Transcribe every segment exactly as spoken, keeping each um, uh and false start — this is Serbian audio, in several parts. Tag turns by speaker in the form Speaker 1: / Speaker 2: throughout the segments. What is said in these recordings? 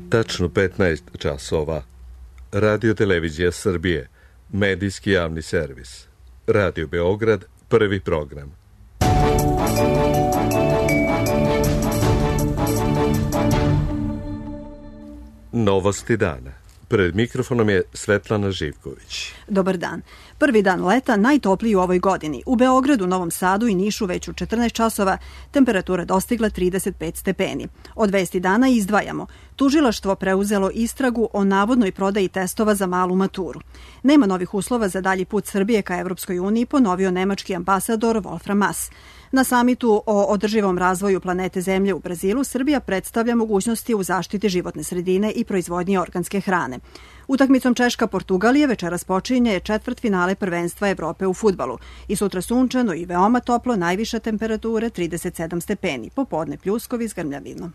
Speaker 1: Tačno petnaest časova. Radio Televizija Srbije, medijski javni servis. Radio Beograd, prvi program. Novosti dana. Pred mikrofonom je Svetlana Živković.
Speaker 2: Dobar dan. Prvi dan leta, najtopliji u ovoj godini. U Beogradu, Novom Sadu i Nišu već u četrnaest časova temperatura dostigla trideset pet stepeni. Od vesti dana izdvajamo. Tužilaštvo preuzelo istragu o navodnoj prodaji testova za malu maturu. Nema novih uslova za dalji put Srbije ka Evropskoj uniji, ponovio nemački ambasador Wolfram Maass. Na samitu o održivom razvoju planete Zemlje u Brazilu Srbija predstavlja mogućnosti u zaštiti životne sredine i proizvodnji organske hrane. Utakmicom Češka-Portugalije večeras počinje četvrtfinale prvenstva Evrope u fudbalu. I sutra sunčano i veoma toplo, najviša temperatura trideset sedam stepeni. Popodne pljuskovi s grmljavinom.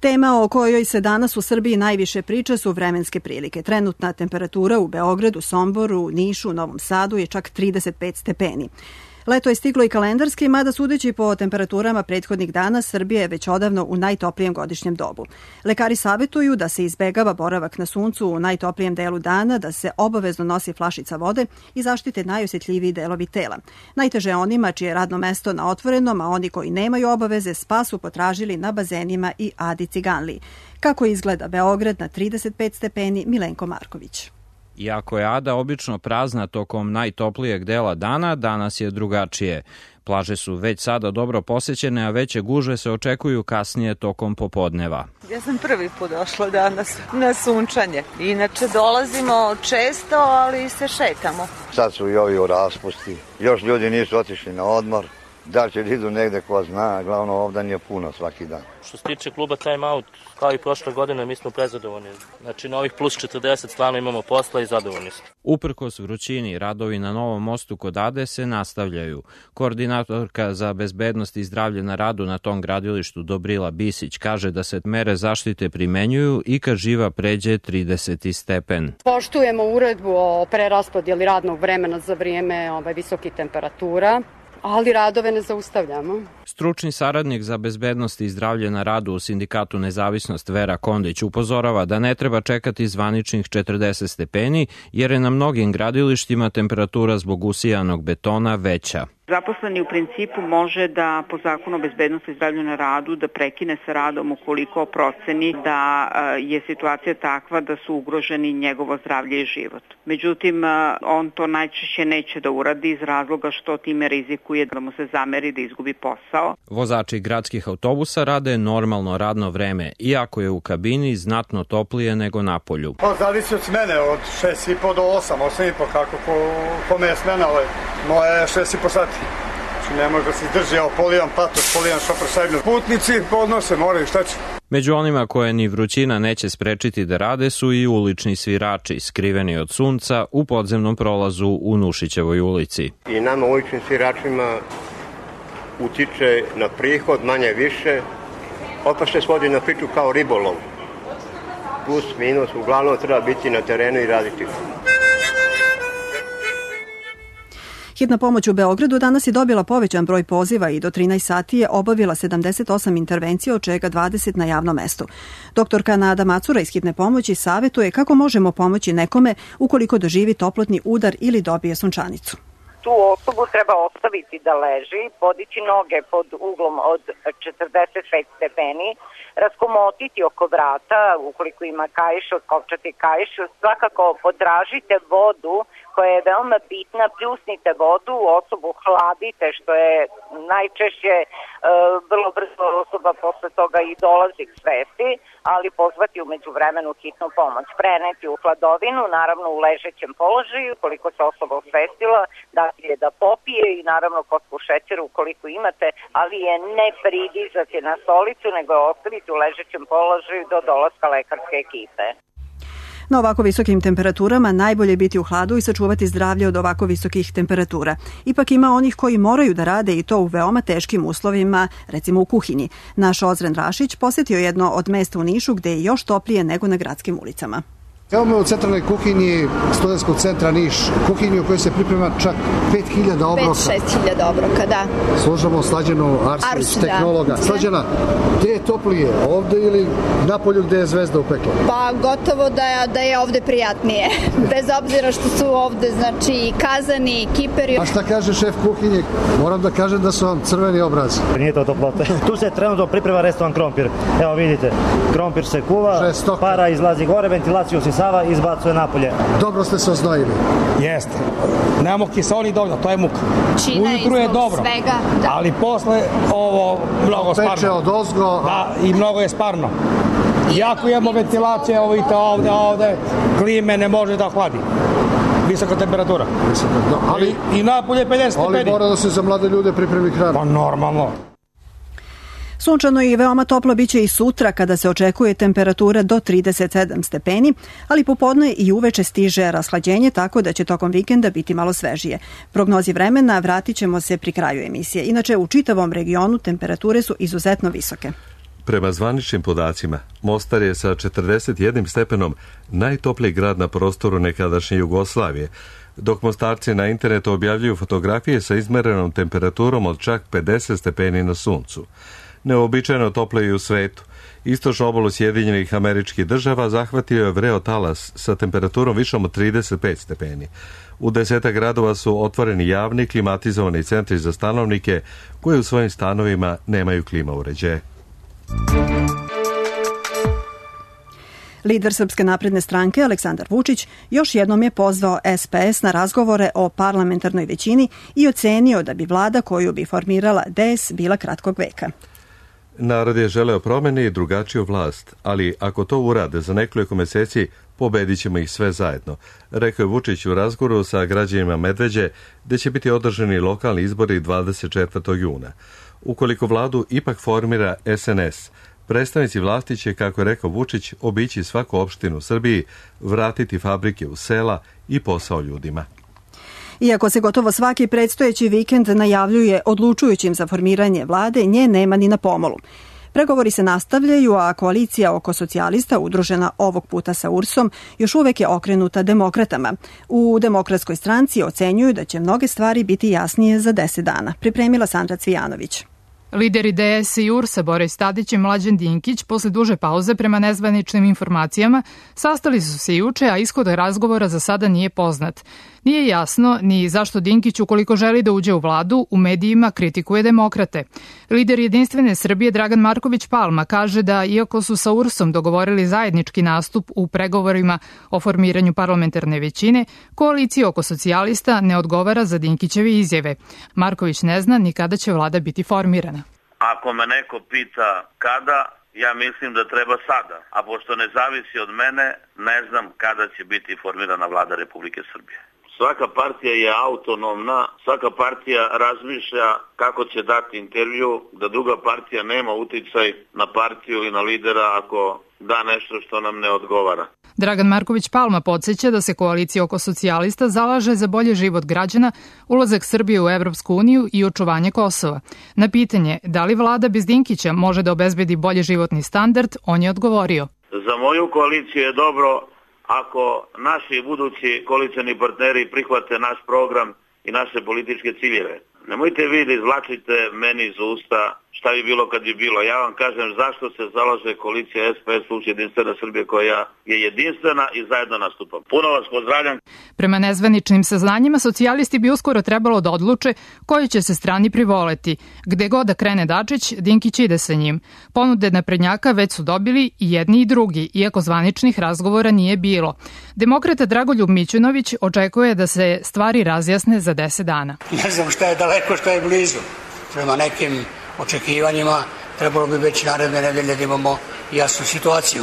Speaker 2: Tema o kojoj se danas u Srbiji najviše priča su vremenske prilike. Trenutna temperatura u Beogradu, Somboru, Nišu, Novom Sadu je čak trideset pet stepeni. Leto je stiglo i kalendarski, mada sudeći po temperaturama prethodnih dana, Srbija je već odavno u najtoplijem godišnjem dobu. Lekari savjetuju da se izbegava boravak na suncu u najtoplijem delu dana, da se obavezno nosi flašica vode i zaštite najosjetljiviji delovi tela. Najteže je onima čije je radno mesto na otvorenom, a oni koji nemaju obaveze spas su potražili na bazenima i Adi Ciganliji. Kako izgleda Beograd na trideset pet stepeni, Milenko Marković.
Speaker 3: Iako je Ada obično prazna tokom najtoplijeg dela dana, danas je drugačije. Plaže su već sada dobro posećene, a veće gužve se očekuju kasnije tokom popodneva.
Speaker 4: Ja sam prvi put došla danas na sunčanje. Inače dolazimo često, ali se šetamo.
Speaker 5: Sad su i ovi u raspusti. Još ljudi nisu otišli na odmor. Da li će da idu negde ko zna, glavno ovdje nije puno svaki dan.
Speaker 6: Što se tiče kluba Time Out, kao i prošle godine, mi smo prezadovoljni. Znači na ovih plus četrdeset stvarno imamo posla i zadovoljni smo.
Speaker 3: Uprkos vrućini, radovi na Novom mostu kod Ade se nastavljaju. Koordinatorka za bezbednost i zdravlje na radu na tom gradilištu Dobrila Bisić kaže da se mere zaštite primenjuju i kad živa pređe trideset stepen.
Speaker 7: Poštujemo uredbu o preraspodjeli radnog vremena za vrijeme ovaj, visokih temperatura, ali radove ne zaustavljamo.
Speaker 3: Stručni saradnik za bezbednost i zdravlje na radu u Sindikatu Nezavisnost Vera Kondić upozorava da ne treba čekati zvaničnih četrdeset stepeni, jer je na mnogim gradilištima temperatura zbog usijanog betona veća.
Speaker 8: Zaposleni u principu može da po zakonu o bezbednosti i zdravlju na radu da prekine sa radom ukoliko proceni da je situacija takva da su ugroženi njegovo zdravlje i život. Međutim, on to najčešće neće da uradi iz razloga što time rizikuje da mu se zameri da izgubi posao.
Speaker 3: Vozači gradskih autobusa rade normalno radno vreme, iako je u kabini znatno toplije nego na polju.
Speaker 9: Pa zavisi od smene, od šest i po do osam, osam i po, kako ko, kome je smena, ovaj. Moje je šest i po sati. Ne može da se izdrži, evo polijan patos, polijan šofer šajbnu. Putnici podnose, moraju, šta će?
Speaker 3: Među onima koje ni vrućina neće sprečiti da rade su i ulični svirači, skriveni od sunca u podzemnom prolazu u Nušićevoj ulici.
Speaker 10: I nama uličnim sviračima utiče na prihod manje više, opet se svodi na priču kao ribolov. Plus, minus, uglavnom treba biti na terenu i raditi.
Speaker 2: Hitna pomoć u Beogradu danas je dobila povećan broj poziva i do trinaest sati je obavila sedamdeset osam intervencija, od čega dvadeset na javnom mestu. Doktorka Nada Macura iz Hitne pomoći savjetuje kako možemo pomoći nekome ukoliko doživi toplotni udar ili dobije sunčanicu.
Speaker 11: Tu osobu treba ostaviti da leži, podići noge pod uglom od četrdeset pet stepeni, raskomotiti oko vrata, ukoliko ima kaiš, otkopčati kaiš, svakako potražite vodu koja je veoma bitna, pljusnite vodu, osobu hladite, što je najčešće e, vrlo brzo osoba posle toga i dolazi k svesti, ali pozvati umeđu vremenu hitnu pomoć. Preneti u hladovinu, naravno u ležećem položaju, koliko se osoba osvestila, dati je da popije i naravno kocku šećera ukoliko imate, ali je ne pridizati na stolicu, nego je ostaviti u ležećem položaju do dolaska lekarske ekipe.
Speaker 2: Na ovako visokim temperaturama najbolje je biti u hladu i sačuvati zdravlje od ovako visokih temperatura. Ipak ima onih koji moraju da rade i to u veoma teškim uslovima, recimo u kuhinji. Naš Ozren Rašić posjetio jedno od mesta u Nišu gde je još toplije nego na gradskim ulicama.
Speaker 12: Evo me u centralnoj kuhinji Studentskog centra Niš, kuhinji u kojoj se priprema čak pet hiljada obroka.
Speaker 13: pet do šest hiljada obroka, da.
Speaker 12: Služamo Slađanu Arsić,
Speaker 13: Arsu,
Speaker 12: tehnologa.
Speaker 13: Da.
Speaker 12: Slađana, gde je toplije, ovde ili napolju gde je zvezda upekla?
Speaker 13: Pa gotovo da je, da je ovde prijatnije, bez obzira što su ovde, znači, kazani, kiperi.
Speaker 12: A šta kaže šef kuhinje? Moram da kažem da su vam crveni obrazi.
Speaker 14: Nije to toplote. Tu se trenutno priprema restoran krompir. Evo vidite, krompir se kuva, Žestok. Para izlazi gore, ventilaciju sisava i izbacuje napolje.
Speaker 12: Dobro ste se oznojili.
Speaker 15: Jeste. Nemamo kiseloni dovoljno, to je muka.
Speaker 13: Čina
Speaker 15: ujutru je dobro,
Speaker 13: svega, da.
Speaker 15: Ali posle ovo mnogo
Speaker 12: Peče
Speaker 15: sparno.
Speaker 12: Peče od ozgo.
Speaker 15: Da, i mnogo je sparno. Iako imamo ventilacije, ovo vidite ovde, ovde, klime ne može da ohladi. Visoka temperatura.
Speaker 12: Visoka, no, ali,
Speaker 15: I, i napolje pedeset stepeni.
Speaker 12: Ali mora da se za mlade ljude pripremi hrana.
Speaker 15: Pa normalno.
Speaker 2: Sunčano i veoma toplo biće i sutra kada se očekuje temperatura do trideset sedam stepeni, ali popodne i uveče stiže rashlađenje tako da će tokom vikenda biti malo svežije. Prognozi vremena vratit ćemo se pri kraju emisije. Inače, u čitavom regionu temperature su izuzetno visoke.
Speaker 1: Prema zvaničnim podacima, Mostar je sa četrdeset jednim stepenom najtopliji grad na prostoru nekadašnje Jugoslavije, dok Mostarci na internetu objavljuju fotografije sa izmerenom temperaturom od čak pedeset stepeni na suncu. Neobičajno toplo i u svetu. Istočnu obalu Sjedinjenih Američkih Država zahvatio je vreo talas sa temperaturom višom od trideset pet stepeni. U desetak gradova su otvoreni javni klimatizovani centri za stanovnike koji u svojim stanovima nemaju klima uređaje.
Speaker 2: Lider Srpske napredne stranke Aleksandar Vučić još jednom je pozvao S P S na razgovore o parlamentarnoj većini i ocenio da bi vlada koju bi formirala D S bila kratkog veka.
Speaker 1: Narod je želeo promene i drugačiju vlast, ali ako to urade za nekoliko meseci, pobedit ćemo ih sve zajedno, rekao je Vučić u razgovoru sa građanima Medveđe, gde će biti održani lokalni izbori dvadeset četvrtog juna. Ukoliko vladu ipak formira S N S, predstavnici vlasti će, kako je rekao Vučić, obići svaku opštinu u Srbiji, vratiti fabrike u sela i posao ljudima.
Speaker 2: Iako se gotovo svaki predstojeći vikend najavljuje odlučujućim za formiranje vlade, nje nema ni na pomolu. Pregovori se nastavljaju, a koalicija oko socijalista, udružena ovog puta sa U R S-om, još uvek je okrenuta demokratama. U Demokratskoj stranci ocenjuju da će mnoge stvari biti jasnije za deset dana. Pripremila Sandra Cvijanović.
Speaker 16: Lideri D S i U R S-a Boris Tadić i Mlađan Dinkić posle duže pauze prema nezvaničnim informacijama sastali su se juče, a ishod razgovora za sada nije poznat. Nije jasno ni zašto Dinkić, ukoliko želi da uđe u vladu, u medijima kritikuje demokrate. Lider Jedinstvene Srbije Dragan Marković Palma kaže da iako su sa U R S-om dogovorili zajednički nastup u pregovorima o formiranju parlamentarne većine, koalicija oko socijalista ne odgovara za Dinkićeve izjave. Marković ne zna ni kada će vlada biti formirana.
Speaker 17: Ako me neko pita kada, ja mislim da treba sada, a pošto ne zavisi od mene, ne znam kada će biti formirana vlada Republike Srbije. Svaka partija je autonomna, svaka partija razmišlja kako će dati intervju, da druga partija nema uticaj na partiju ili na lidera ako da nešto što nam ne odgovara.
Speaker 16: Dragan Marković Palma podsjeća da se koalicija oko socijalista zalaže za bolji život građana, ulazak Srbije u Evropsku uniju i očuvanje Kosova. Na pitanje da li vlada bez Dinkića može da obezbedi bolji životni standard, on je odgovorio.
Speaker 17: Za moju koaliciju je dobro ako naši budući koalicioni partneri prihvate naš program i naše političke ciljeve. Nemojte vi da izvlačite meni iz usta šta bi bilo kad bi bilo. Ja vam kažem zašto se zalaže koalicija S P S plus Jedinstvena Srbija koja je jedinstvena i zajedno nastupam. Puno vas pozdravljam.
Speaker 16: Prema nezvaničnim saznanjima, socijalisti bi uskoro trebalo da odluče koji će se strani privoleti. Gde god da krene Dačić, Dinkić ide sa njim. Ponude naprednjaka već su dobili i jedni i drugi, iako zvaničnih razgovora nije bilo. Demokrata Dragoljub Mićunović očekuje da se stvari razjasne za deset dana.
Speaker 18: Ne znam šta je daleko, šta je blizu. Prema nekim očekivanjima trebalo bi već naredne nedelje da imamo jasnu situaciju.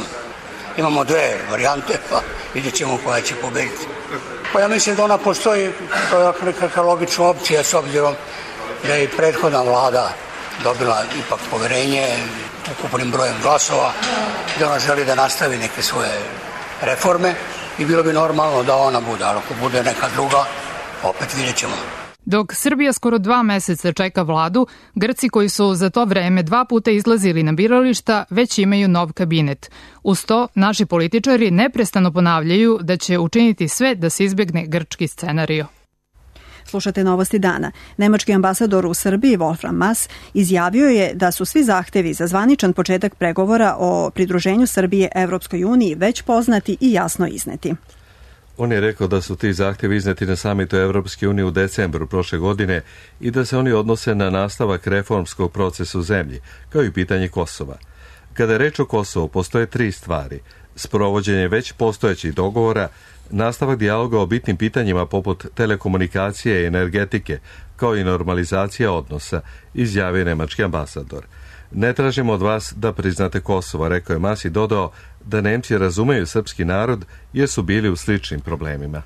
Speaker 18: Imamo dve varijante, pa vidjet ćemo koja će pobediti. Pa ja mislim da ona postoji kao nekakva logična opcija s obzirom da je i prethodna vlada dobila ipak poverenje ukupnim brojem glasova, da ona želi da nastavi neke svoje reforme i bilo bi normalno da ona bude, ali ako bude neka druga, opet vidjet ćemo.
Speaker 16: Dok Srbija skoro dva meseca čeka vladu, Grci koji su za to vreme dva puta izlazili na birališta već imaju nov kabinet. Uz to, naši političari neprestano ponavljaju da će učiniti sve da se izbegne grčki scenario.
Speaker 2: Slušate novosti dana. Nemački ambasador u Srbiji, Wolfram Mass, izjavio je da su svi zahtevi za zvaničan početak pregovora o pridruženju Srbije Evropskoj uniji već poznati i jasno izneti.
Speaker 1: On je rekao da su ti zahtjevi izneti na samitu Evropske unije u decembru prošle godine i da se oni odnose na nastavak reformskog procesa u zemlji, kao i pitanje Kosova. Kada je reč o Kosovu, postoje tri stvari. Sprovođenje već postojećih dogovora, nastavak dijaloga o bitnim pitanjima poput telekomunikacije i energetike, kao i normalizacija odnosa, izjavio nemački ambasador. Ne tražimo od vas da priznate Kosovo, rekao je Mas i dodao da Nemci razumeju srpski narod jer su bili u sličnim problemima.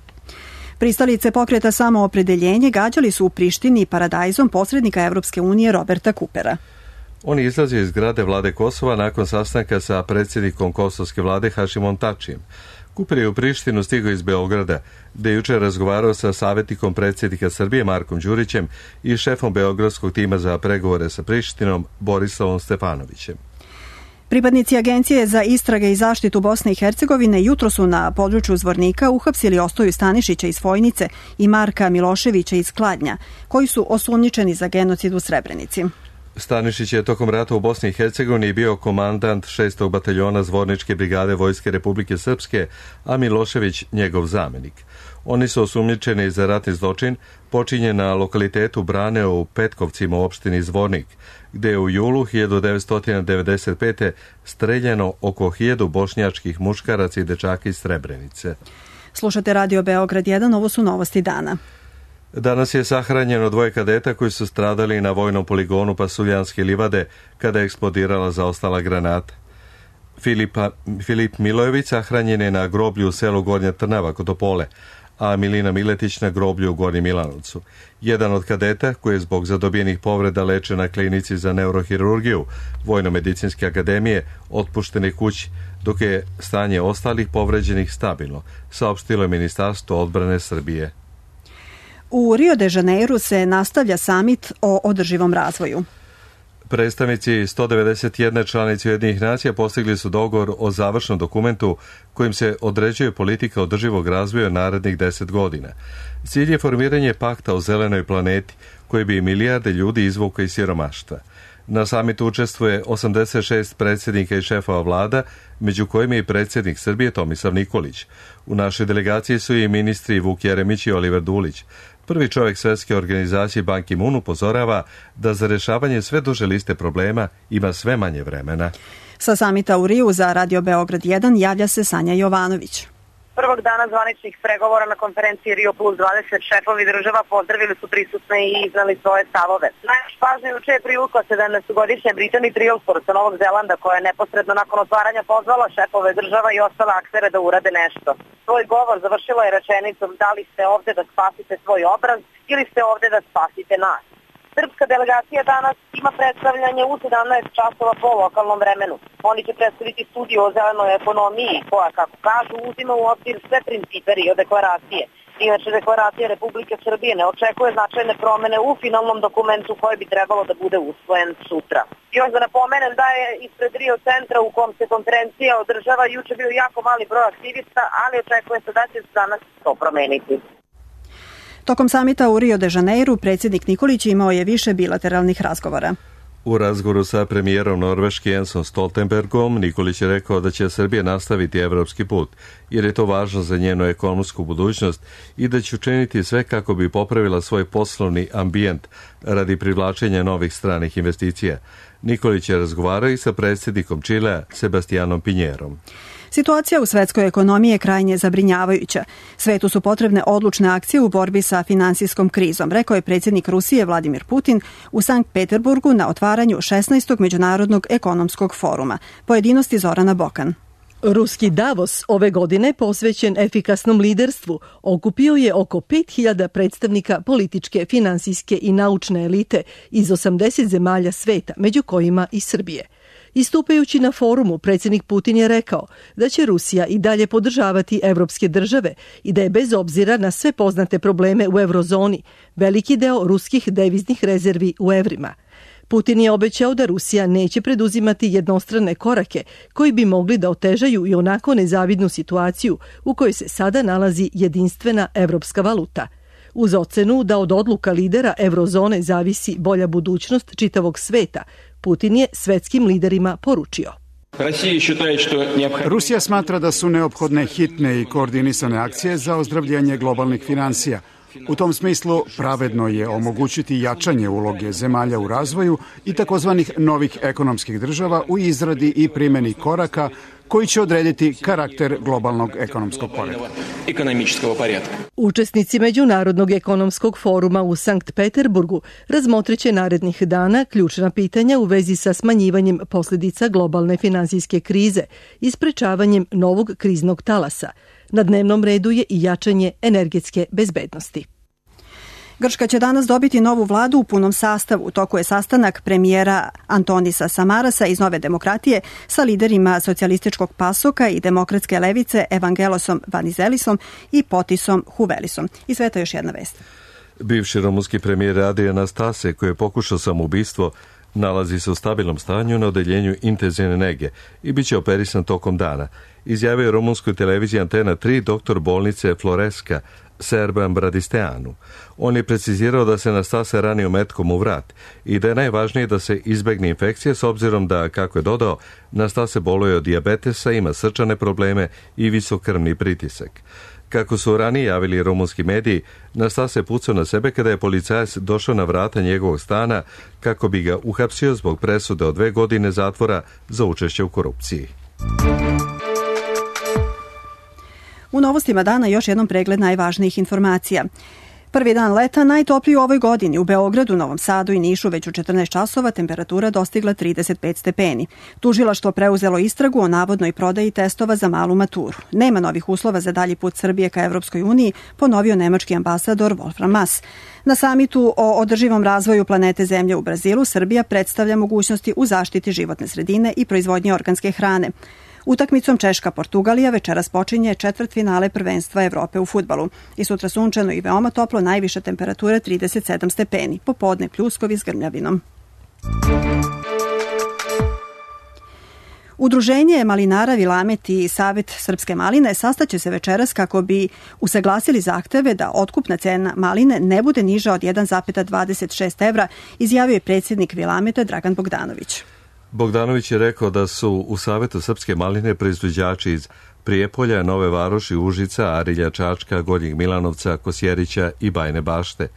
Speaker 2: Pristalice pokreta Samoopredeljenje gađali su u Prištini paradajzom posrednika Evropske unije Roberta Kupera.
Speaker 1: On je izlazio iz zgrade vlade Kosova nakon sastanka sa predsjednikom kosovske vlade Hašimom Tačijem. Kuper je u Prištinu stigao iz Beograda, gde je jučer razgovarao sa savjetnikom predsjednika Srbije Markom Đurićem i šefom beogradskog tima za pregovore sa Prištinom Borislavom Stefanovićem.
Speaker 2: Pripadnici Agencije za istrage i zaštitu Bosne i Hercegovine jutro su na području Zvornika uhapsili Ostoju Stanišića iz Fojnice i Marka Miloševića iz Kladnja, koji su osumnjičeni za genocid u Srebrenici.
Speaker 1: Stanišić je tokom rata u Bosni i Hercegovini bio komandant šestog bataljona Zvorničke brigade Vojske Republike Srpske, a Milošević njegov zamenik. Oni su osumnjičeni za ratni zločin počinjen na lokalitetu Brane u Petkovcima u opštini Zvornik, gde je u julu hiljadu devetsto devedeset pete streljano oko hiljadu bošnjačkih muškaraca i dečaka iz Srebrenice.
Speaker 2: Slušate Radio Beograd jedan, ovo su novosti dana.
Speaker 1: Danas je sahranjeno dvoje kadeta koji su stradali na vojnom poligonu Pasuljanske livade kada je eksplodirala zaostala granata. Filipa, Filip Milojević sahranjen je na groblju u selu Gornja Trnava kod Topole, a Milina Miletić na groblju u Gornjem Milanovcu. Jedan od kadeta, koji je zbog zadobijenih povreda lečen na klinici za neurohirurgiju Vojno-medicinske akademije, otpušten je kući, dok je stanje ostalih povređenih stabilno, saopštilo je Ministarstvo odbrane Srbije.
Speaker 2: U Rio de Janeiru se nastavlja samit o održivom razvoju.
Speaker 1: Predstavnici sto devedeset jedne članice Ujedinjenih nacija postigli su dogovor o završnom dokumentu kojim se određuje politika održivog razvoja narednih deset godina. Cilj je formiranje pakta o zelenoj planeti koji bi milijarde ljudi izvukao iz siromaštva. Na samitu učestvuje osamdeset šest predsjednika i šefova vlada, među kojima je i predsjednik Srbije Tomislav Nikolić. U našoj delegaciji su i ministri Vuk Jeremić i Oliver Dulić. Prvi čovjek Svjetske organizacije Ban Ki-moon upozorava da za rješavanje sve duže liste problema ima sve manje vremena.
Speaker 2: Sa samita u Riju za Radio Beograd jedan javlja se Sanja Jovanović.
Speaker 19: Prvog dana zvaničnih pregovora na konferenciji Rio plus dvadeset šefovi država pozdravili su prisutne i iznali svoje stavove. Najviše pažnje juče je privukla sedamnaestogodišnja Brittany Treilsford sa Novog Zelanda, koja je neposredno nakon otvaranja pozvala šefove država i ostale aktere da urade nešto. Svoj govor završila je rečenicom: da li ste ovde da spasite svoj obraz ili ste ovde da spasite nas. Srpska delegacija danas ima predstavljanje u sedamnaest časova po lokalnom vremenu. Oni će predstaviti studiju o zelenoj ekonomiji koja, kako kažu, uzima u obzir sve principe Rio deklaracije. Inače, deklaracija Republike Srbije ne očekuje značajne promene u finalnom dokumentu koji bi trebalo da bude usvojen sutra. Još da napomenem da je ispred Rio centra u kom se konferencija održava juče bio jako mali broj aktivista, ali očekuje se da će se danas to promeniti.
Speaker 2: Tokom samita u Rio de Janeiru predsjednik Nikolić imao je više bilateralnih razgovora.
Speaker 1: U razgovoru sa premijerom Norveške Jensom Stoltenbergom Nikolić je rekao da će Srbija nastaviti evropski put, jer je to važno za njenu ekonomsku budućnost i da će učiniti sve kako bi popravila svoj poslovni ambijent radi privlačenja novih stranih investicija. Nikolić je razgovarao i sa predsjednikom Čilea Sebastianom Pinjerom.
Speaker 2: Situacija u svetskoj ekonomiji je krajnje zabrinjavajuća. Svetu su potrebne odlučne akcije u borbi sa finansijskom krizom, rekao je predsjednik Rusije Vladimir Putin u Sankt Peterburgu na otvaranju šesnaestog Međunarodnog ekonomskog foruma. Pojedinosti Zorana Bokan.
Speaker 20: Ruski Davos ove godine, posvećen efikasnom liderstvu, okupio je oko pet hiljada predstavnika političke, finansijske i naučne elite iz osamdeset zemalja sveta, među kojima i Srbije. Istupajući na forumu, predsjednik Putin je rekao da će Rusija i dalje podržavati evropske države i da je bez obzira na sve poznate probleme u eurozoni veliki deo ruskih deviznih rezervi u evrima. Putin je obećao da Rusija neće preduzimati jednostrane korake koji bi mogli da otežaju i onako nezavidnu situaciju u kojoj se sada nalazi jedinstvena evropska valuta. Uz ocenu da od odluka lidera eurozone zavisi bolja budućnost čitavog sveta, Putin je svetskim liderima poručio.
Speaker 21: Rusija smatra da su neophodne hitne i koordinisane akcije za ozdravljenje globalnih finansija. U tom smislu pravedno je omogućiti jačanje uloge zemalja u razvoju i takozvanih novih ekonomskih država u izradi i primjeni koraka koji će odrediti karakter globalnog ekonomskog poretka.
Speaker 20: Učesnici Međunarodnog ekonomskog foruma u Sankt Peterburgu razmotrit će narednih dana ključna pitanja u vezi sa smanjivanjem posljedica globalne finansijske krize i sprečavanjem novog kriznog talasa. Na dnevnom redu je i jačanje energetske bezbednosti.
Speaker 2: Grčka će danas dobiti novu vladu u punom sastavu. U toku je sastanak premijera Antonisa Samarasa iz Nove demokratije sa liderima socijalističkog pasoka i demokratske levice Evangelosom Vanizelisom i Potisom Huvelisom. I sve to još jedna vest.
Speaker 1: Bivši rumunski premijer Adrian Stase, koji je pokušao samoubistvo, nalazi se u stabilnom stanju na odeljenju intenzivne nege i bit će operisan tokom dana. Izjavio je rumunskoj televiziji Antena tri doktor bolnice Floreska Serban Bradisteanu. On je precizirao da se Nastase ranio metkom u vrat i da je najvažnije da se izbegne infekcije s obzirom da, kako je dodao, Nastase boluje od dijabetesa, ima srčane probleme i visok krvni pritisak. Kako su ranije javili rumunski mediji, Nastase pucao na sebe kada je policajac došao na vrata njegovog stana kako bi ga uhapsio zbog presude od dve godine zatvora za učešće u korupciji.
Speaker 2: U novostima dana još jednom pregled najvažnijih informacija. Prvi dan leta, najtopliji u ovoj godini. U Beogradu, Novom Sadu i Nišu već u četrnaest časova temperatura dostigla trideset pet stepeni. Tužilaštvo preuzelo istragu o navodnoj prodaji testova za malu maturu. Nema novih uslova za dalji put Srbije ka Evropskoj uniji, ponovio nemački ambasador Wolfram Mass. Na samitu o održivom razvoju planete Zemlje u Brazilu, Srbija predstavlja mogućnosti u zaštiti životne sredine i proizvodnje organske hrane. Utakmicom Češka-Portugalija večeras počinje četvrtfinale prvenstva Evrope u fudbalu. I sutra sunčano i veoma toplo, najviša temperatura trideset sedam stepeni, popodne pljuskovi s grmljavinom. Udruženje malinara Vilamet i Savet srpske maline sastaće se večeras kako bi usaglasili zahteve da otkupna cena maline ne bude niža od jedan zarez dvadeset šest evra, izjavio je predsjednik Vilameta Dragan Bogdanović.
Speaker 1: Bogdanović je rekao da su u Savetu srpske maline proizvođači iz Prijepolja, Nove Varoši, Užica, Arilja, Čačka, Gornjeg Milanovca, Kosjerića i Bajne Bašte.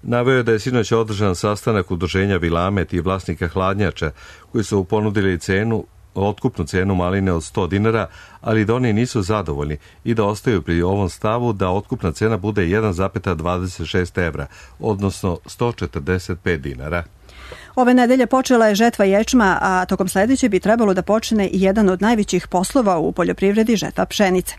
Speaker 1: Naveo je da je sinoć održan sastanak udruženja Vilamet i vlasnika hladnjača koji su ponudili cenu, otkupnu cenu maline od sto dinara, ali da oni nisu zadovoljni i da ostaju pri ovom stavu da otkupna cena bude jedan zarez dvadeset šest evra, odnosno sto četrdeset pet dinara.
Speaker 2: Ove nedelje počela je žetva ječma, a tokom sledeće bi trebalo da počne i jedan od najvećih poslova u poljoprivredi, žetva pšenice.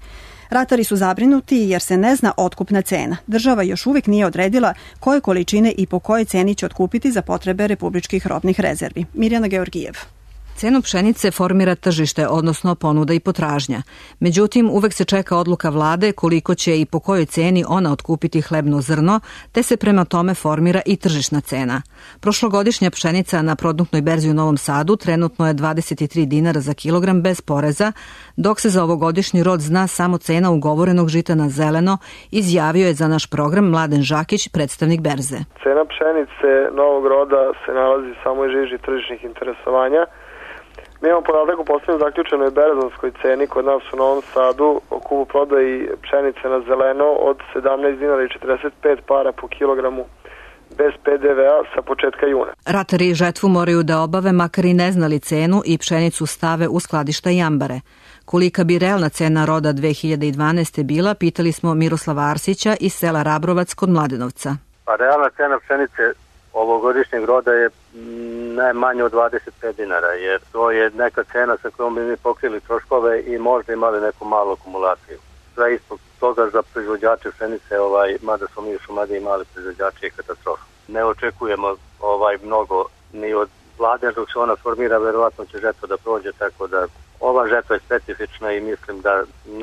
Speaker 2: Ratari su zabrinuti jer se ne zna otkupna cena. Država još uvijek nije odredila koje količine i po kojoj ceni će otkupiti za potrebe republičkih robnih rezervi. Mirjana Georgijev.
Speaker 22: Cenu pšenice formira tržište, odnosno ponuda i potražnja. Međutim, uvek se čeka odluka vlade koliko će i po kojoj ceni ona otkupiti hlebno zrno, te se prema tome formira i tržišna cena. Prošlogodišnja pšenica na produktnoj berzi u Novom Sadu trenutno je dvadeset tri dinara za kilogram bez poreza, dok se za ovogodišnji rod zna samo cena ugovorenog žita na zeleno, izjavio je za naš program Mladen Žakić, predstavnik berze.
Speaker 23: Cena pšenice novog roda se nalazi samo u žiži tržišnih interesovanja. Mi imamo podatak u poslednjoj zaključenoj berzonskoj ceni kod nas u Novom Sadu o kupu prodaji pšenice na zeleno od sedamnaest dinara i četrdeset pet para po kilogramu bez pe de ve a sa početka juna.
Speaker 22: Ratari žetvu moraju da obave makar i ne znali cenu i pšenicu stave u skladišta i ambare. Kolika bi realna cena roda dve hiljade dvanaeste. bila, pitali smo Miroslava Arsića iz sela Rabrovac kod Mladenovca.
Speaker 24: Pa realna cena pšenice ovogodišnjeg roda je ne manje od dvadeset pet dinara, jer to je neka cena sa kojom bi mi pokrili troškove i možda imali neku malu akumulaciju. Sve ispod toga za proizvođače pšenice, ovaj, mada smo mi u Šumadiji mali proizvođači, je katastrofa. Ne očekujemo ovaj mnogo ni od vlade, dok se ona formira, verovatno će žetva da prođe, tako da ova žetva je specifična i mislim da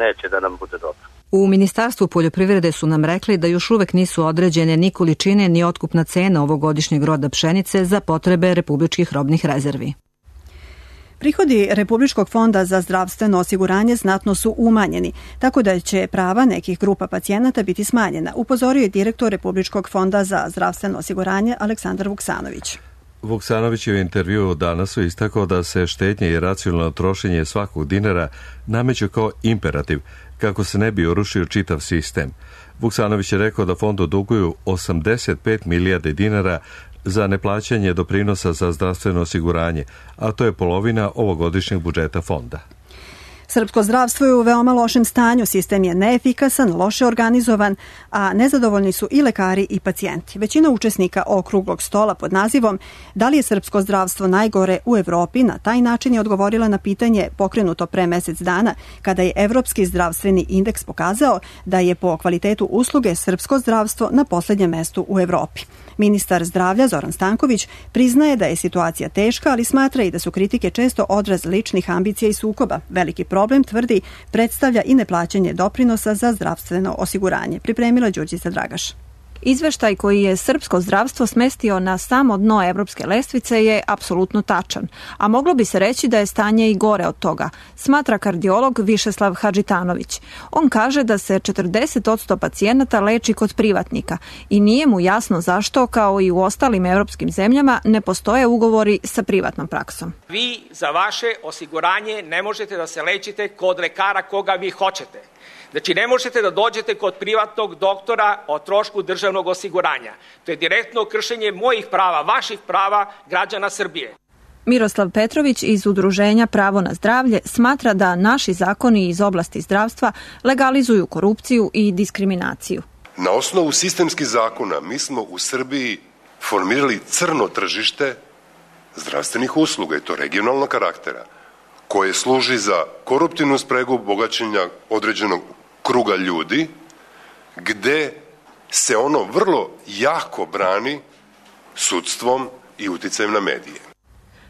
Speaker 24: neće da nam bude dobro.
Speaker 22: U Ministarstvu poljoprivrede su nam rekli da još uvek nisu određene ni količine ni otkupna cena ovogodišnjeg roda pšenice za potrebe republičkih robnih rezervi.
Speaker 2: Prihodi Republičkog fonda za zdravstveno osiguranje znatno su umanjeni, tako da će prava nekih grupa pacijenata biti smanjena, upozorio je direktor Republičkog fonda za zdravstveno osiguranje Aleksandar Vuksanović.
Speaker 1: Vuksanović je u intervjuu danas istakao da se štednje i racionalno trošenje svakog dinara nameću kao imperativ, kako se ne bi urušio čitav sistem. Vuksanović je rekao da fondu duguju osamdeset pet milijardi dinara za neplaćanje doprinosa za zdravstveno osiguranje, a to je polovina ovogodišnjeg budžeta fonda.
Speaker 2: Srpsko zdravstvo je u veoma lošem stanju, sistem je neefikasan, loše organizovan, a nezadovoljni su i lekari i pacijenti. Većina učesnika okruglog stola pod nazivom "Da li je srpsko zdravstvo najgore u Evropi?" na taj način je odgovorila na pitanje pokrenuto pre mesec dana, kada je Evropski zdravstveni indeks pokazao da je po kvalitetu usluge srpsko zdravstvo na poslednjem mestu u Evropi. Ministar zdravlja Zoran Stanković priznaje da je situacija teška, ali smatra i da su kritike često odraz ličnih ambicija i sukoba. Veliki problem, tvrdi, predstavlja i neplaćanje doprinosa za zdravstveno osiguranje. Pripremila Đurđica Dragaš.
Speaker 4: Izveštaj koji je srpsko zdravstvo smestio na samo dno evropske lestvice je apsolutno tačan, a moglo bi se reći da je stanje i gore od toga, smatra kardiolog Višeslav Hadžitanović. On kaže da se četrdeset posto pacijenata leči kod privatnika i nije mu jasno zašto, kao i u ostalim evropskim zemljama, ne postoje ugovori sa privatnom praksom.
Speaker 5: Vi za vaše osiguranje ne možete da se lečite kod lekara koga vi hoćete. Znači, ne možete da dođete kod privatnog doktora o trošku državnog osiguranja. To je direktno kršenje mojih prava, vaših prava građana Srbije.
Speaker 4: Miroslav Petrović iz Udruženja Pravo na zdravlje smatra da naši zakoni iz oblasti zdravstva legalizuju korupciju i diskriminaciju.
Speaker 6: Na osnovu sistemskih zakona mi smo u Srbiji formirali crno tržište zdravstvenih usluga, i to regionalnog karaktera, koje služi za koruptivnu spregu bogaćenja određenog kruga ljudi, gde se ono vrlo jako brani sudstvom i uticajem na medije.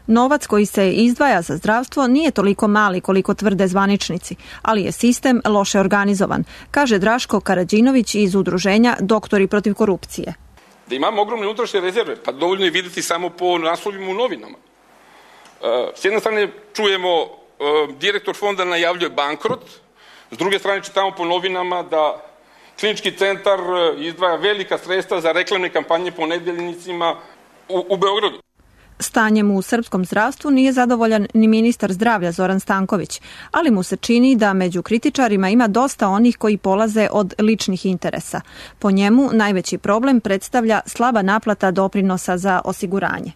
Speaker 4: Novac koji se izdvaja za zdravstvo nije toliko mali koliko tvrde zvaničnici, ali je sistem loše organizovan, kaže Draško Karađinović iz Udruženja Doktori protiv korupcije.
Speaker 7: Da imamo ogromne unutrašnje rezerve, pa dovoljno je videti samo po naslovima u novinama. S jedne strane čujemo direktor fonda najavljuje bankrot, s druge strane čitamo po novinama da klinički centar izdvaja velika sredstva za reklamne kampanje po nedeljnicima u, u Beogradu.
Speaker 4: Stanjem u srpskom zdravstvu nije zadovoljan ni ministar zdravlja Zoran Stanković, ali mu se čini da među kritičarima ima dosta onih koji polaze od ličnih interesa. Po njemu najveći problem predstavlja slaba naplata doprinosa za osiguranje.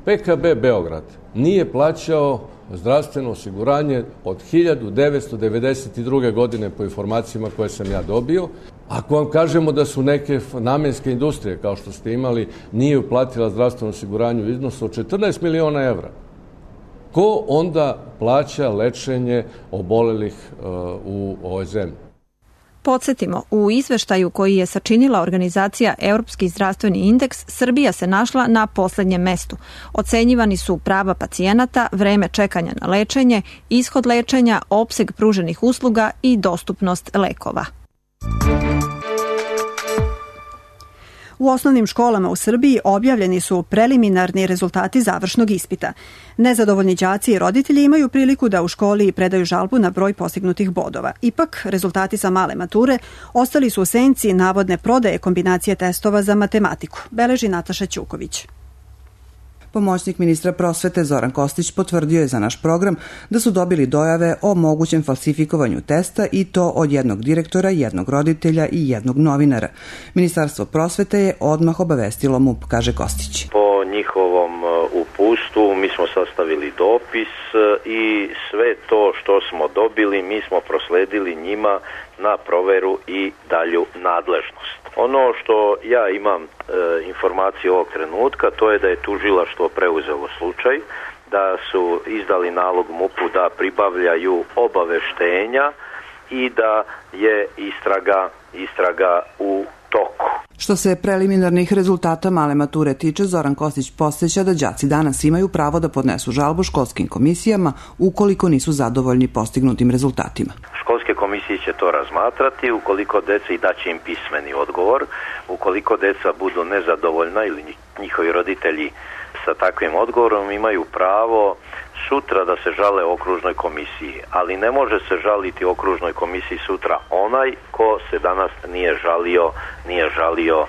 Speaker 25: P K B Beograd nije plaćao zdravstveno osiguranje od hiljadu devetsto devedeset druge. godine po informacijama koje sam ja dobio. Ako vam kažemo da su neke namenske industrije, kao što ste imali, nije uplatila zdravstveno osiguranje u iznosu od četrnaest miliona evra, ko onda plaća lečenje obolelih uh, u ovoj zemlji?
Speaker 4: Podsjetimo, u izveštaju koji je sačinila organizacija Europski zdravstveni indeks, Srbija se našla na poslednjem mestu. Ocenjivani su prava pacijenata, vreme čekanja na lečenje, ishod lečenja, opseg pruženih usluga i dostupnost lekova.
Speaker 2: U osnovnim školama u Srbiji objavljeni su preliminarni rezultati završnog ispita. Nezadovoljni đaci i roditelji imaju priliku da u školi predaju žalbu na broj postignutih bodova. Ipak, rezultati sa male mature ostali su u senci navodne prodaje kombinacije testova za matematiku, beleži Nataša Ćuković.
Speaker 26: Pomoćnik ministra prosvete Zoran Kostić potvrdio je za naš program da su dobili dojave o mogućem falsifikovanju testa i to od jednog direktora, jednog roditelja i jednog novinara. Ministarstvo prosvete je odmah obavestilo M U P, kaže Kostić.
Speaker 27: Po njihovom uputstvu mi smo sastavili dopis i sve to što smo dobili mi smo prosledili njima na proveru i dalju nadležnost. Ono što ja imam e, informaciju ovog trenutka, to je da je tužilaštvo preuzelo slučaj, da su izdali nalog M U P-u da pribavljaju obaveštenja i da je istraga, istraga u toku.
Speaker 26: Što se preliminarnih rezultata male mature tiče, Zoran Kostić podseća da đaci danas imaju pravo da podnesu žalbu školskim komisijama ukoliko nisu zadovoljni postignutim rezultatima.
Speaker 27: Školske komisije će to razmatrati, ukoliko deca i daće im pismeni odgovor, ukoliko deca budu nezadovoljna ili njihovi roditelji sa takvim odgovorom imaju pravo sutra da se žale okružnoj komisiji, ali ne može se žaliti okružnoj komisiji sutra onaj ko se danas nije žalio, nije žalio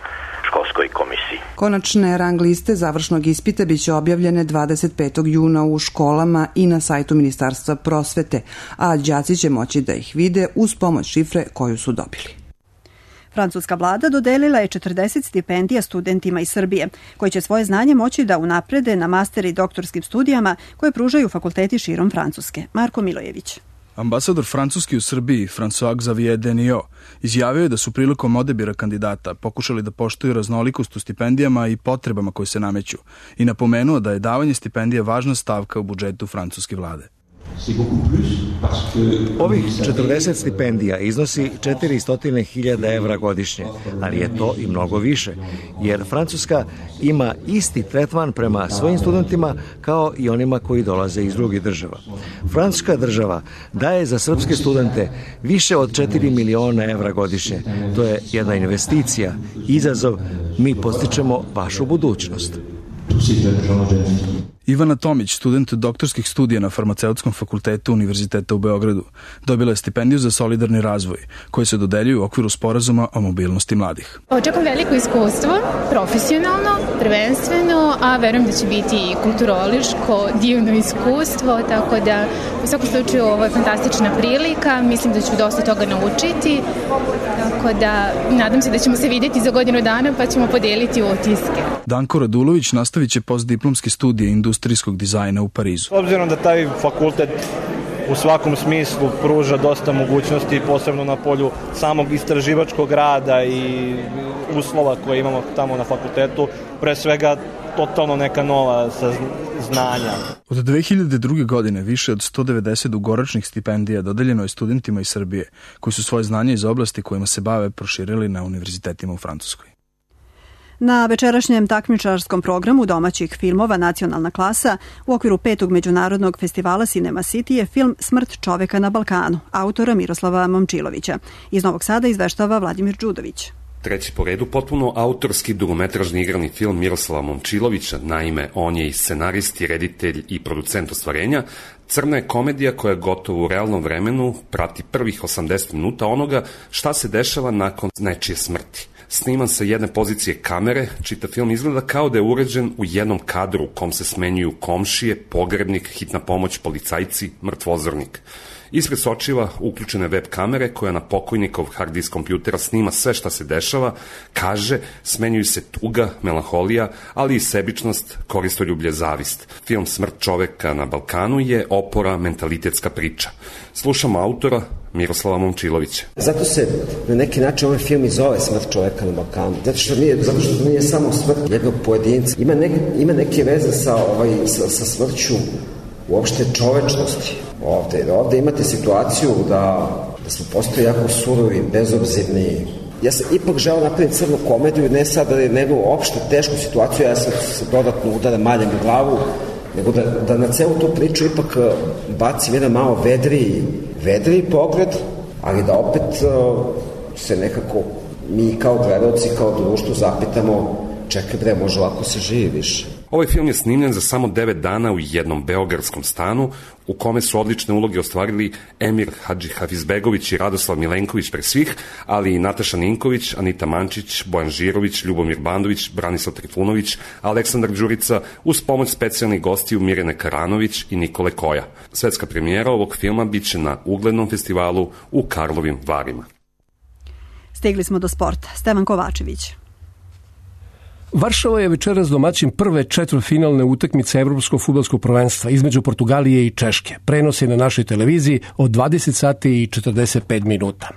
Speaker 27: školskoj komisiji.
Speaker 26: Konačne rang liste završnog ispita biće objavljene dvadeset petog juna u školama i na sajtu Ministarstva prosvete, a đaci će moći da ih vide uz pomoć šifre koju su dobili.
Speaker 2: Francuska vlada dodelila je četrdeset stipendija studentima iz Srbije, koji će svoje znanje moći da unaprede na master i doktorskim studijama koje pružaju fakulteti širom Francuske. Marko Milojević.
Speaker 3: Ambasador Francuski u Srbiji, François Xavier Denio, izjavio je da su prilikom odabira kandidata pokušali da poštuju raznolikost u stipendijama i potrebama koje se nameću i napomenuo da je davanje stipendija važna stavka u budžetu francuske vlade.
Speaker 8: Ovih četrdeset stipendija iznosi četiristo hiljada evra godišnje, ali je to i mnogo više, jer Francuska ima isti tretman prema svojim studentima kao i onima koji dolaze iz drugih država. Francuska država daje za srpske studente više od četiri miliona evra godišnje. To je jedna investicija, izazov, mi postičemo vašu budućnost.
Speaker 3: Ivana Tomić, student doktorskih studija na Farmaceutskom fakultetu Univerziteta u Beogradu, dobila je stipendiju za solidarni razvoj, koji se dodeljuju u okviru sporazuma o mobilnosti mladih.
Speaker 9: Očekujem veliko iskustvo, profesionalno, prvenstveno, a verujem da će biti i kulturološko divno iskustvo, tako da u svakom slučaju ovo je fantastična prilika, mislim da ću dosta toga naučiti, tako da nadam se da ćemo se vidjeti za godinu dana pa ćemo podeliti utiske.
Speaker 3: Danko Radulović nastavit će postdiplomske studije industrijskog dizajna u Parizu.
Speaker 10: Obzirom da taj fakultet u svakom smislu pruža dosta mogućnosti, posebno na polju samog istraživačkog rada i uslova koje imamo tamo na fakultetu, pre svega totalno neka nova znanja.
Speaker 3: Od dve hiljade druge. godine više od sto devedeset dugoročnih stipendija dodeljeno je studentima iz Srbije, koji su svoje znanje iz oblasti kojima se bave proširili na univerzitetima u Francuskoj.
Speaker 2: Na večerašnjem takmičarskom programu domaćih filmova Nacionalna klasa u okviru petog međunarodnog festivala Cinema City je film Smrt čoveka na Balkanu, autora Miroslava Momčilovića. Iz Novog Sada izveštava Vladimir Đudović.
Speaker 11: Treći po redu potpuno autorski dugometražni igrani film Miroslava Momčilovića, naime on je i scenarist i reditelj i producent ostvarenja. Crna je komedija koja gotovo u realnom vremenu prati prvih osamdeset minuta onoga šta se dešava nakon nečije smrti. Sniman sa jedne pozicije kamere, čitav film izgleda kao da je uređen u jednom kadru u kom se smenjuju komšije, pogrebnik, hitna pomoć, policajci, mrtvozornik. Ispred sočiva uključene web kamere koja na pokojnikov hard disk kompjutera snima sve šta se dešava, kaže, smenjuju se tuga, melanholija, ali i sebičnost, koristoljublje, zavist. Film Smrt čoveka na Balkanu je opora mentalitetska priča. Slušamo autora Miroslava Momčilovića.
Speaker 13: Zato se na neki način ovaj film i zove Smrt čoveka na Balkanu. Zato što nije, zato što nije samo smrt jednog pojedinca. Ima, ne, ima neke veze sa, ovaj, sa, sa smrću uopšte čovečnosti. Ovde, ovde imate situaciju da, da smo postali jako surovi, bezobzirni. Ja sam ipak želeo napraviti crnu komediju, ne sada nego uopšte tešku situaciju, ja sam se dodatno udara maljem u glavu, nego da, da na celu tu priču ipak bacim jedan malo vedriji, vedriji pogled, ali da opet se nekako mi kao gledalci, kao društvo zapitamo, čekaj bre, može ovako se živi više.
Speaker 11: Ovaj film je snimljen za samo devet dana u jednom beogradskom stanu, u kome su odlične uloge ostvarili Emir Hadžihafizbegović i Radoslav Milenković pre svih, ali i Nataša Ninković, Anita Mančić, Bojan Žirović, Ljubomir Bandović, Branislav Trifunović, Aleksandar Đurica, uz pomoć specijalnih gostiju Mirjane Karanović i Nikole Koja. Svetska premijera ovog filma biće na uglednom festivalu u Karlovim Varima.
Speaker 2: Stigli smo do sporta. Stevan Kovačević.
Speaker 12: Varšava je večeras domaćin prve četvrtfinalne utakmice Evropskog fudbalskog prvenstva između Portugalije i Češke. Prenos je na našoj televiziji od dvadeset sati i četrdeset pet minuta.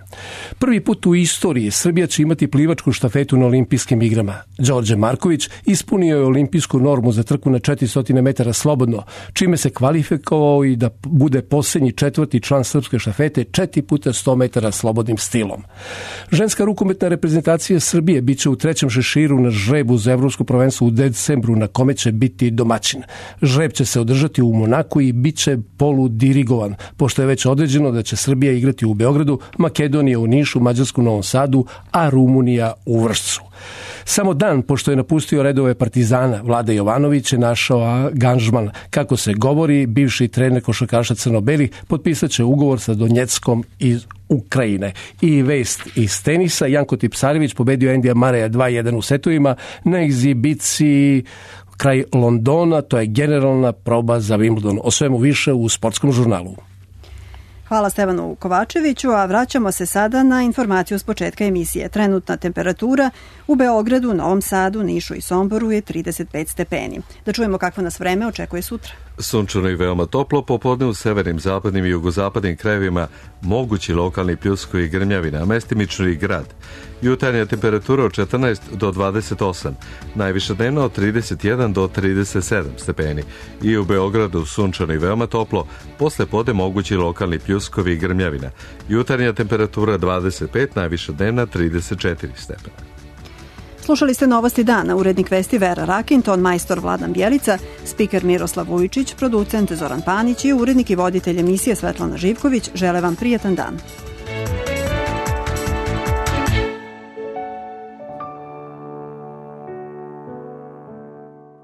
Speaker 12: Prvi put u istoriji Srbija će imati plivačku štafetu na olimpijskim igrama. Đorđe Marković ispunio je olimpijsku normu za trku na četiristo metara slobodno, čime se kvalifikovao i da bude posljednji četvrti član srpske štafete četiri puta sto metara slobodnim stilom. Ženska rukometna reprezentacija Srbije biće u trećem šeširu na žrebu za Evropsko prvenstvo u decembru na kome će biti domaćin. Žreb će se održati u Monaku i bit će poludirigovan, pošto je već određeno da će Srbija igrati u Beogradu, Makedonija u Nišu, Mađarsku u Novom Sadu, a Rumunija u Vršcu. Samo dan pošto je napustio redove Partizana, Vlada Jovanović je našao angažman. Kako se govori, bivši trener košarkaša crno-belih potpisat će ugovor sa Donjeckom iz Ukrajine. I vest iz tenisa, Janko Tipsarević pobedio Endija Mareja dva jedan u setovima na egzibiciji kraj Londona, to je generalna proba za Wimbledon. O svemu više u Sportskom žurnalu.
Speaker 2: Hvala Stevanu Kovačeviću, a vraćamo se sada na informaciju s početka emisije. Trenutna temperatura u Beogradu, Novom Sadu, Nišu i Somboru je trideset pet stepeni. Da čujemo kakvo nas vreme očekuje sutra.
Speaker 1: Sunčano i veoma toplo, popodne u severnim, zapadnim i jugozapadnim krajevima mogući lokalni pljuskovi i grmljavina, a mestimično i grad. Jutarnja temperatura od četrnaest do dvadeset osam, najviša dnevna od trideset jedan do trideset sedam stepeni. I u Beogradu sunčano i veoma toplo, posle pode mogući lokalni pljuskovi i grmljavina. Jutarnja temperatura dvadeset pet, najviša dnevna trideset četiri stepena.
Speaker 2: Slušali ste Novosti dana, urednik vesti Vera Rakin, ton majstor Vladan Bjelica, spiker Miroslav Vujčić, producent Zoran Panić i urednik i voditelj emisije Svetlana Živković. Žele vam prijetan dan.